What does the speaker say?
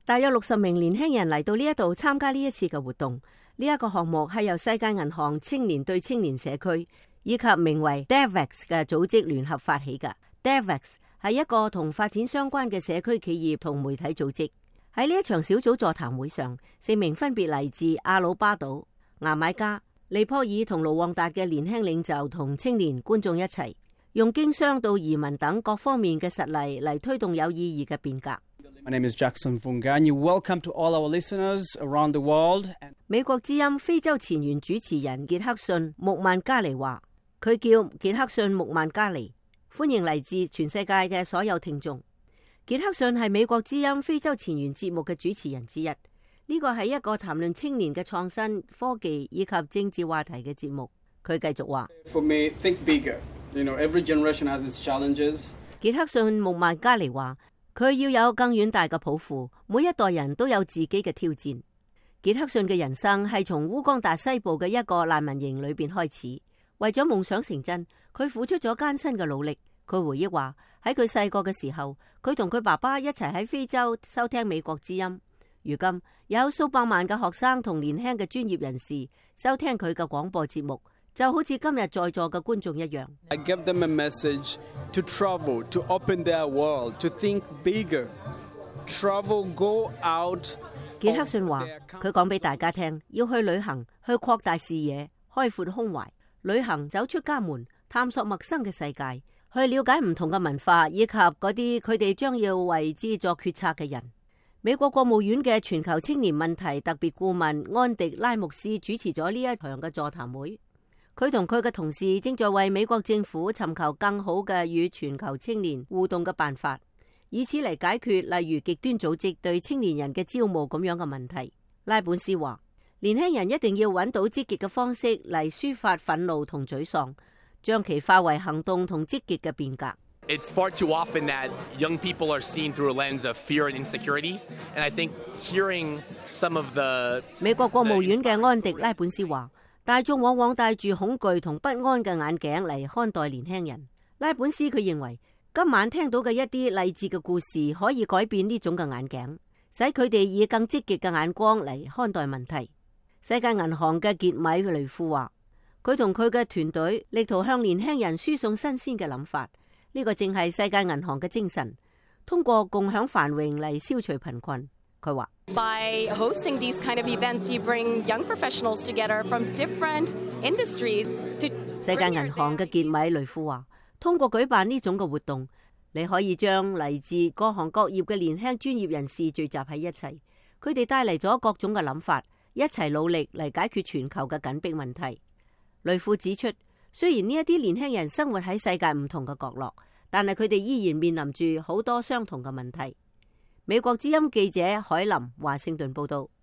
大約60名年輕人嚟到呢一度參加呢一次嘅活動。呢一個項目係由世界銀行青年對青年社區以及名為 DevEx 嘅組織聯合發起嘅。DevEx 係一個同發展相關嘅社區企業同媒體組織。喺呢一場小組座談會上，4名分別嚟自阿魯巴島、牙買加、尼泊爾同盧旺達嘅年輕領袖同青年觀眾一齊，用經商到移民等各方面嘅實例嚟推動有意義嘅變革。My name is Jackson Vunganyi. Welcome to all our listeners around the world. 美國之音非洲前緣主持人傑克遜穆曼加尼話，佢叫傑克遜穆曼加尼，歡迎嚟自全世界嘅所有聽眾。傑克遜係美國之音非洲前緣節目嘅主持人之一。呢個係一個談論青年嘅創新、科技以及政治話題嘅節目。佢繼續話：For me, think bigger. You know, every generation has its challenges. 傑克遜穆曼加尼話。佢要有更遠大嘅抱負，每一代人都有自己嘅挑戰。傑克遜嘅人生係從烏干達西部嘅一個難民營裏邊開始，為咗夢想成真，佢付出咗艱辛嘅努力。佢回憶話，喺佢細個嘅時候，佢同佢爸爸一齊喺非洲收聽美國之音。如今有數百萬嘅學生同年輕嘅專業人士收聽佢嘅廣播節目，就好似今日在座嘅觀眾一樣。I give them a message to travel, to open their world, to think bigger. Travel, go out. 傑克遜話：佢講俾大家聽，要去旅行，去擴大視野，開闊胸懷，旅行走出家門，探索陌生嘅世界，去了解唔同嘅文化，以及嗰啲佢哋將要為之作決策嘅人。美國國務院嘅全球青年問題特別顧問安迪拉牧斯主持咗呢一場嘅座談會。佢同佢嘅同事正在為美國政府尋求更好嘅與全球青年互動嘅辦法，以此嚟解決例如極端組織對青年人嘅招募咁樣嘅問題。拉本斯話：年輕人一定要揾到積極嘅方式嚟抒發憤怒同沮喪，將其化為行動同積極嘅變革。It's far too often that young people are seen through a lens of fear and insecurity, and I think hearing some of the 美國國務院嘅安迪拉本斯話：大眾往往帶住恐懼同不安嘅眼鏡嚟看待年輕人。拉本斯佢認為，今晚聽到嘅一啲勵志嘅故事可以改變呢種嘅眼鏡，使佢哋以更積極嘅眼光嚟看待問題。世界銀行嘅傑米雷夫話：佢同佢嘅團隊力圖向年輕人輸送新鮮嘅諗法，呢個正係世界銀行嘅精神，通過共享繁榮嚟消除貧困。佢話：By hosting these kind of events, you bring young professionals together from different industries to 世界銀行嘅傑米雷夫話，通過舉辦呢種嘅活動，你可以將嚟自各行各業嘅年輕專業人士聚集喺一齊，佢哋帶嚟咗各種嘅諗法，一齊努力嚟解決全球嘅緊迫問題。雷夫指出，雖然呢一啲年輕人生活喺世界唔同嘅角落，但係佢哋依然面臨住好多相同嘅問題。美國之音記者海林華盛頓報道。